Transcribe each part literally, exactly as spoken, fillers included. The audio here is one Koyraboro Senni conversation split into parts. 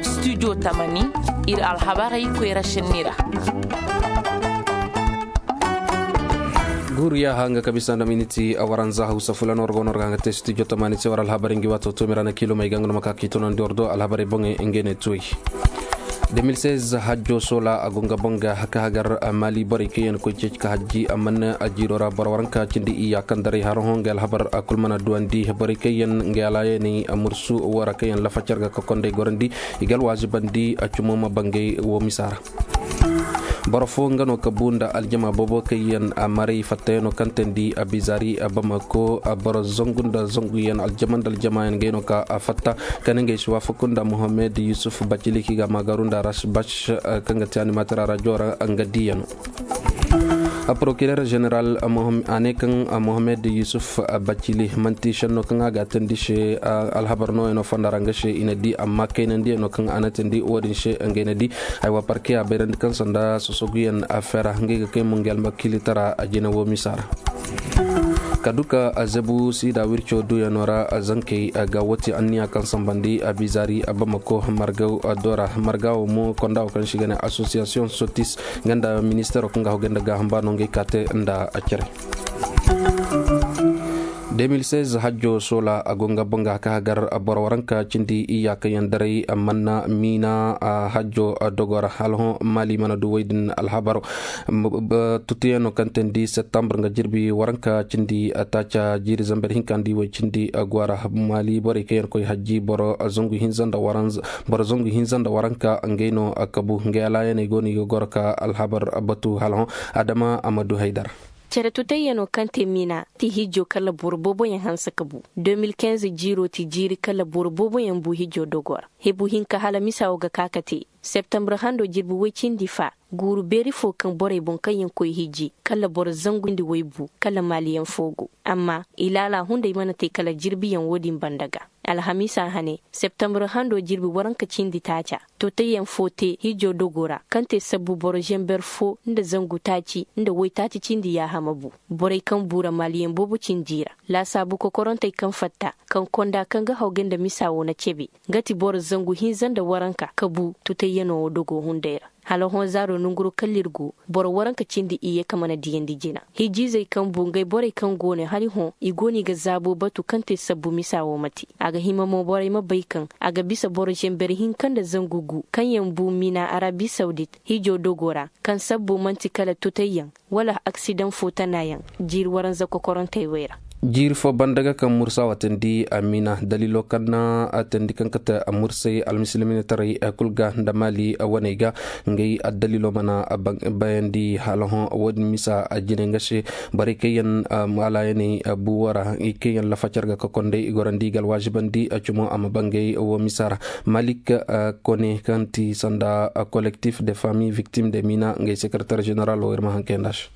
Studio tamani, ir alhabarey koyra šenni ra. Guuru yaaha nga ka bisa nda miniti waranza hawsa fula no war go no war ga nga te studio tamani se war alhabarey ngi waato toomi ra na kiilomey ga nga no ma ka k'i tunandi war do alhabarey boŋey ngey ne tuwey. Deux mille seize hajjo soola a go nga boŋ ga ka hagar mali borey kaŋ yaŋ koy ceeci ka hajji amma na a jiiro ra boro waranka cindi iyya kaŋ daray haro hõ nga alhabar a kul mana duwandi borey kaŋ yaŋ nga alaayaney mursu wo ra kaŋ yaŋ lafa car ga ka konday gorandi i ga alwaazibandi a cumo ma bangay wo misa ra. Boro fo nga no ka bu nda aljama boobo kaŋ yaŋ a maray fattayaŋo kaŋ teendi a bizaari a bamako a boro zangu nda zanguyaŋ aljama nda aljamayaŋ ngey no ka a fatta kala ngey si waafaku nda mohammed yusuf bacili kaŋ i ga a maagaru nda rasbash kaŋ ga te animator a rajo ra nga diiyano. A prokirer general a ne kaŋ mohammed yusuf bacili manti šenno kaŋ a ga a teendi se alhabar nooyaŋo fonda ra nga se i na di amma kaynandiyaŋo kaŋ a na teendi wo-din se ngey na di. Aywa parke a bayrandi kaŋ sanda sosoguyaŋ afeera ngey ga kay mo nga almakilitara a jina wo misa ra. Ka du ka a zabu siida wirco duyaŋo ra zankey ga woo te anniya kaŋ sambandi a bizaari a bamako margaw do ra marga wo mo konda wo kaŋ se i ga ne asosiyasiyoŋ sotis nga nda ministeero kaŋ ga a hogay nda gaaham ba no ngey ka te nda a cere. Deux mille seize hajjo soola a go nga boŋ ga ka hagar boro waranka cindi iyya kaŋ yaŋ daray manna miina hajjo dogo ra hala hõ maali mana du woy din alhabaro. Tutuyaŋo kaŋ teendi septembre nga jirbi waranka cindi taaca jiiri zamber hinka nda i woy cindi go a ra maali borey kaŋ yaŋ koy hajji boro zangu hinza nda waranka ngey no kabu ngey alaayaney go no i ga goro ka alhabar batu hala hõ adama a ma du haydara. Cere tutayyaŋo kaŋ te miina ti hijjo kala boro booboyaŋ hanse ka bu. Deux mille quinze jiiro ti jiiri kala boro booboyaŋ bu hijjo dogo ra hebu hinka hala misa wo ga ka ka te septembre hando jirbi woy cindi fa guuru beeri fo kaŋ borey boŋ kaŋ yaŋ koy hijji kala boro zangu nda woy bu kala maaliyaŋ fo go. Amma i laala hunday mana te kala jirbiyaŋ wo-din banda ga. Alhamiisa hane septembre hando jirbi waranka cindi taaca totayyaŋ fo te hijjo dogo ra kaŋ te sabbu boro zember fo nda zangu taaci nda woytaaci cindi yaahama bu. Borey kaŋ buura maaliyaŋ boobo cindi ra laasaabu kokorontey kaŋ fatta kaŋ konda kaŋ ga hawgay nda misa wo na cebe nga ti boro zangu hinza nda waranka ka bu totayyaŋo wo dogo hunday ra. Hala hõ zaaro nanguro kala ir go boro waranka cindi iyye ka mana diyandi jina hijjiizey kaŋ bu ngey borey kaŋ go no hari hõ i go no i ga zaabo batu kaŋ te sabbu misa wo ma te. A ga hima mo borey ma bay kaŋ a ga bisa boro zember hinka nda zangu gu kaŋ yaŋ bu miina arabi sawdit hijo dogo ra kaŋ sabbu man'ti kala tutayyaŋ wala aksidaŋ fo tanayaŋ jiiri waranza kokorontey wey ra. Jiiri fo banda ga kaŋ mursa wa teendi a miina daliilo kaŋ na a teendi kaŋ kate a mursay almisilminataray kul ga nda maali waney ga. Ngey addaliilo mana bayandi hala hõ wo-din misa a jine nga se borey kaŋ yaŋ maalayaney bu wo ra i kaŋ yaŋ lafacar ga ka konday i gorandi i ga alwaazibandi cumo a ma bangay wo misa ra. Malik kone kaŋ ti sanda kolektif de famiy viktim de mina ngey sekereter jeneral wo ir ma hankay nda se.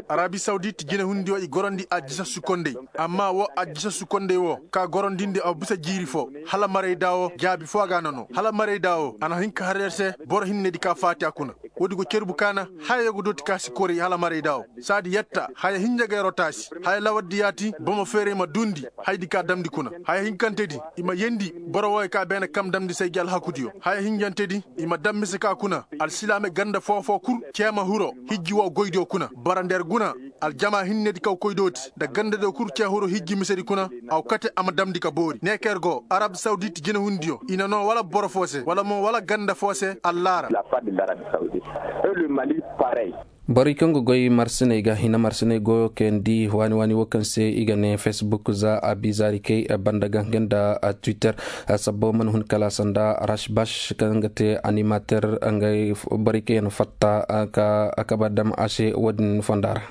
Arabi sawdit jinehundiyo i gorandi addisa sukondey. Amma wo addisa sukondey wo ka gorandindi a bisa jiiri fo hala marayda wo jaabi fo a ga a na no hala marayda wo a na hin ka har yer se. Boro hinnedi ka faati a kuna. Woodi go cerbu kaana haya go dooti ka si kori hala marayda wo. Saadi yetta haya hinja ga yeroo taasi haya lawardi yaati bomo feeray ma duundi. Haydi ka damndi kuna haya hinkantedi i ma yendi boro wooyo ka beene kam damndi say gi alhakudiyo haya hinjantedi. I ma dam mise ka kuna alsilaame ganda foo-foo kul cee ma hiro hijji woo goydiyo kuna bara ndeer guna. Aljamaa hinnedi kaw koy dooti nda gandadiyo kul cee hiro hijji misedi kuna. Aw kate a ma damndi ka boori ne ka yer go arab sawdit jinehundiyo i na noo wala boro foo se wala mo wala ganda foo se allaara. Borey kaŋ ga goy marsiney ga hina marsiney goyo kayandi waani waani wo kaŋ se i ga ne facebook za a bizaari kay banda ga nga nda twitter. Sabbo mana hun kala sanda rashbash kaŋ ga te animater ngey borey kaŋ yaŋ fatta ka kaba dam a se wo-din fonda ra.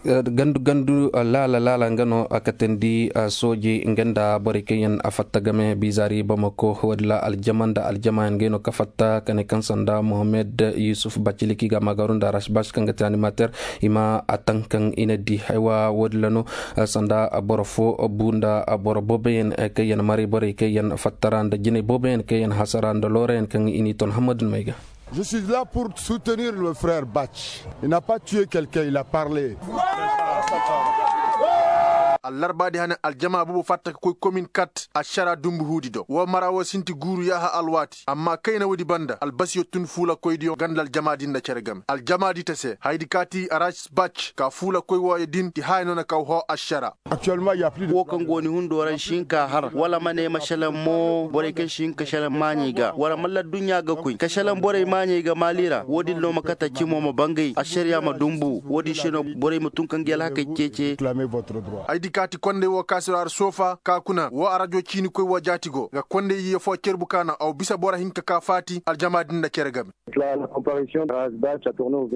Gandu gandu laala laala nga no a katandi sooji nga nda borey kaŋ yaŋ a fatta game bizaari bamako wadila aljama nda aljama yaŋ ngey no ka fatta kane kaŋ sanda mohammed yusuf bacili kaŋ i ga a maagaru nda rasbas kaŋ ga te animater. I ma a taŋ kaŋ i na di haywa wadila no sanda boro fo bu nda boro boobo yaŋ kaŋ yaŋ maray borey kaŋ yaŋ fatta ra nda jinay boobo yaŋ kaŋ yaŋ hasara nda loora yaŋ kaŋ i n'i ton hammadu ni may ga. Je suis là pour soutenir le frère bach. Il n'a pas tué quelqu'un, il a parlé. Allarbaadi hane aljama boobo fatta ka koy komin kat ašara dumbu huudi do woo mara woo sinti guuru yaaha alwaati amma kayna woodi banda albasiyo tun fuulakoydiyo ganda aljamaadi nda cere game aljamaadi ta se hayadi kaati rasbac ka fuulakoy wooyo din ti haya noona kaw hoo ašara. Woo kaŋ go ni hundo ra ni si hin ka har wala ma ne ma šelaŋ mo borey kaŋ si hin ka šelaŋ maaɲey ga wala malla adduɲɲa ga koy ka šelaŋ borey maaɲey ga maali ra woo din no ma kate cimo ma bangay ašariya ma dumbu woo din se no borey ma tun ka ngi alhakey ceece. Ay di kaati kondey woo kaasiro har soofa ka kuna woo arajo ciinikoy woo jaati go nga kondey yiye foo cerbu kaana aw bisa boro hinka ka faati aljama din nda cere game.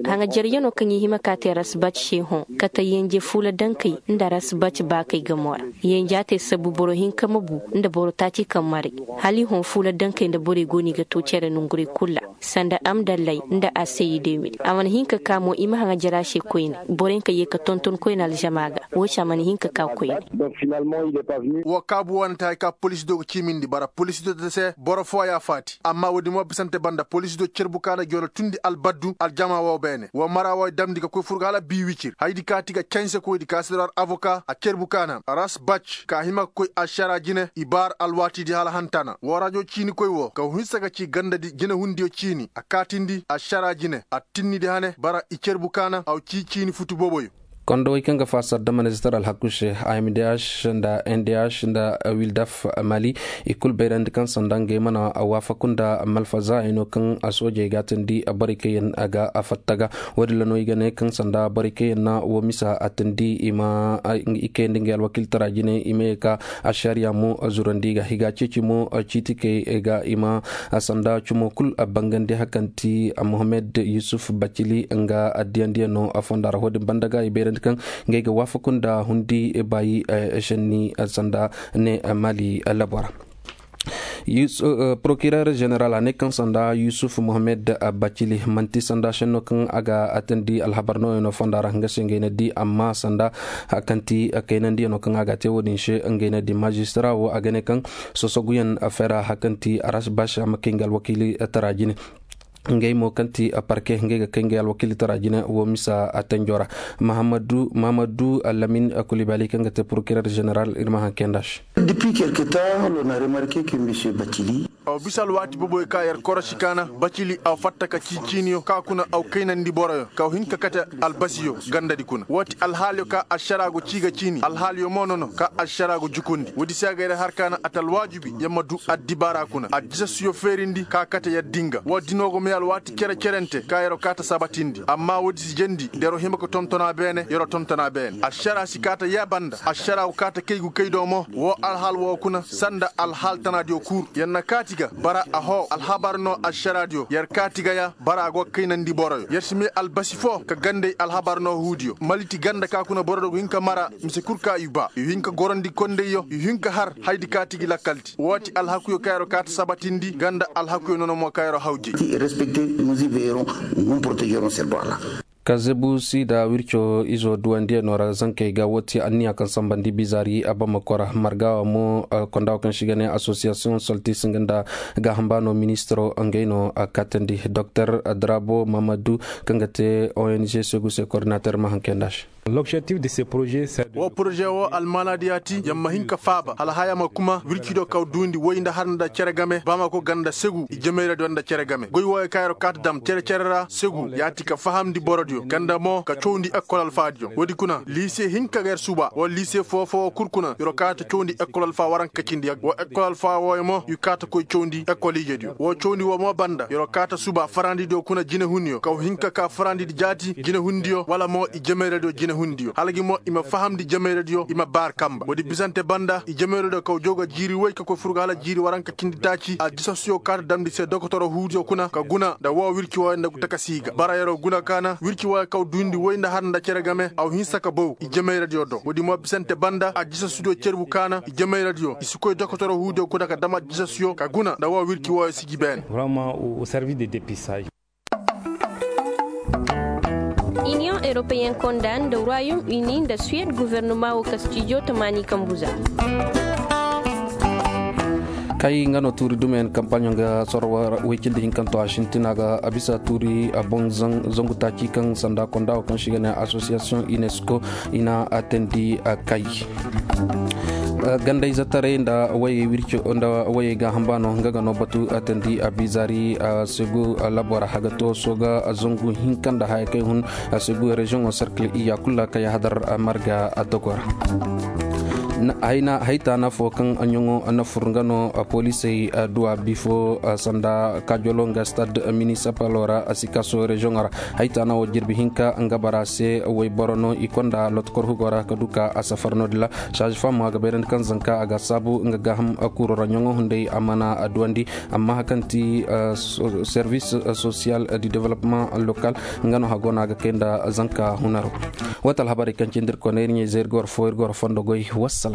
Haŋajaryanoo kaŋ i hima ka te rasbac se hõ kate yenje fuula dankey nda rasbac baakey gamo ra. Yenja te sabu boro hinka ma bu nda boro taaci kaŋ maray. Hala i hõ fuula dankey nda borey go no i ga to cere nongurey kul ra sanda amdallay nda a se i deemil a mana hin ka ka mo i ma haŋajara se koyne. Borey ka ye ka tonton koyne aljama ga. Woo se a mana hin ka ka koyne. Woo kaabu wane te hari ka poliisi do ga ciimindi bara poliisi do te se boro fooya faati amma woodi mo bisante banda poliisi do cerbu kaana joono tundi albaddu aljama woo beene woo mara wooy damndi ka koy fur ga hala biiwicir hayadi kaati ga canse koydi ka si dor avoka a cerbu kaana rasbac ka hima ka koy ašara jine i baar alwaatidi hala hantana woo rajo ciinikoy woo ka hinsa ka ci gandadi jinehundiyo ciini a kaatindi ašara jine a tinnidi hane bara i cerbu kaana aw cii ciini futu booboyo. Kondowey kaŋ ga faasar da minister alhaku se amdh nda ndh nda wildaf mali i kul bayrandi kaŋ sanda ngey mana waafaku nda malfaza hayno kaŋ soojey ga a tindi borey kaŋ yaŋ ga fatta ga. Woodin ra no i ga ne kaŋ sanda borey kaŋ yaŋ na woo misa a tindi i ma i kayandi ngey alwakiiltara jine i ma ye ka ašariya mo zurandi i ga i ga a ceeci mo ciitikey ga i ma sanda cumo kul bangandi hari kaŋ ti mohammed yusuf bacili nga diyandiyaŋo fonda ra wo-din banda ga i bayrandi kaŋ ngey ga waafaku nda hundi baayi šenni sanda ne mali labo ra. Prokirer jeneral a ne kaŋ sanda yusuf mohammed bacili man'ti sanda šenno kaŋ a ga atandi alhabar nooyaŋo fonda ra nga se ngey na di amma sanda hari kaŋ ti kaynandiyaŋo kaŋ a ga a te wo-din se ngey na di majistara wo a ga ne kaŋ sosoguyaŋ fera hari kaŋ ti aras baasi a ma kay nga alwakiili tara jine. Ngey mo kaŋ ti parke ngey ga kay ngey alwakiili tara jine wo misa a tanjo ra. Mahamadu lamin kulibali kaŋ ga te prokirer jeneral ir ma haŋ kay nda se. Aw bisa alwaati boboyo ka yer korosi kaana bacili aw fatta ka cii ciiniyo ka kuna aw kaynandi boroyo ka aw hin ka kate albasiyo gandadi kuna wo ti alhaaliyo ka ašara go cii ga ciini alhaaliyo mo nono ka ašara go jukundi woodi se a ga yer har kaana a ta alwaajibi yer ma du addibaara kuna addisasuyo feerindi ka kate yer dinga wo dino go may alwaati cere-cerente ka yer'o kaa ta sabatindi amma woodi si jendi da yer'o hima ka tonton a beene yer'o tonton a beene ašara si kaa ta yee banda ašara go kaa ta kay gu kay do mo woo alhaal woo kuna sanda alhaal tanaadiyo kul yer na kaati ga bara a hoo alhabar no ašaraadiyo yer kaati ga ya bara a go ga kaynandi boroyo yer si may albasi foo ka gandey alhabar no huudiyo maliti ganda ka kuna boro do go hin ka mara mise kul ka i baa i hin ka gorandi kondeyyo i hin ka har hayadi kaati gi lakkalti woo ti alhakuyo ka yer'o kaa ta sabatindi ganda alhakuyo nono mo ka yer'o hawjey. Kazebu siida wirco izo duwandiyanoo ra zankey ga woo ti anniya kaŋ sambandi bizaari abamako ra margawa mo konda woo kaŋ se i ga ne asosiyasiyoŋ soltis nga nda gaaham baano ministiro ngey no a kaatandi doktor drabo mamadu kaŋ ga te ong segu se kordinater ma haŋ kay nda se. Woo poroze woo almaanaadi ya ti yer ma hin ka faaba hala haya ma kuma wirci do kaw duundi woy nda har nda cere game ba ma go ganda segu i jemayradiyo nda cere game goy wooyo kaŋ yer kaata dam cere-cere ra segu ya ti ka fahamndi borodiyo ganda mo ka cawndi ekkol alfaadiyo woodi kuna liise hinka ga yer suba wala liise foo-foo kul kuna yer kaata cawndi ekkol alfa waranka cindi woo ekkol alfa wooyo mo i kaata koy cawndi ekkol ijediyo woo cawndi woo mo banda yer kaata suba farandidiyo kuna jinehunniyo kaw hinka ka farandidi jaati jinehundiyo wala mo i jemayradiyo jinehundiyo hala gi mo i ma fahamndi jemayradiyo i ma baar kamba woodi bisante banda i jemayradiyo kaw jaw ga jiiri woy ka koy fur ga hala jiiri waranka cindi taaci aljisasuyo kaata damndi se dokotoro huudiyo kuna ka guna nda woo wirci wooyo nda takasi ga bara yer'o guna kaana wirci wooyo kaw duundi woy nda har nda cere game aw hinsa ka bow i jemayradiyo do woodi mo bisante banda aljisasudiyo cerbu kaana i jemayradiyo i si koy dokotoro huudiyo kuna ka dam aljisasuyo ka guna nda woo wirci wooyo siji beene. Iniyoŋ europeyen konda nda royaume uni nda suwed guvernoma woo kastijo tamaani kambu za. Ay nga no tuuri dumeyaŋ kampaɲo ga sorwa way cindi hinkanto a sintina ga a bisa tuuri a boŋ zangu taaci kaŋ sanda konda wo kaŋ se i ga ne asosiyasiyoŋ unesco i na a teendi a kay. Gandayzetaray nda wayey wirco nda wayey gaaham baano nga ga no batu a teendi a biizaari a segu labo ra haga to sooga zangu hinka nda haya kay hun a segu reziyoŋo serkil iya kulu ra kay hadar marga a dogo ra. Hayta na fo kaŋ ɲaŋo na fur nga no polisey duwa bifo sanda kajolo nga stad minisipalo ra sikaso reziyoŋo ra. Hayta na wo jirbi hinka nga bara se wayboro no i konda lotokor hugo ra ka du ka a safar no-din ra. Saaz fam a ga bayrandi kaŋ zanka a ga saabu nga gaaham kuuro ra ɲaŋo hunday a mana duwandi. Amma hari kaŋ ti servis sosiyal di development lokal nga no hago no a ga kay nda zanka hunaro. Wata alhabarey kaŋ cindi ir kone ir ɲayzey ir ga war fo ir ga war fondo goy. Wassalam.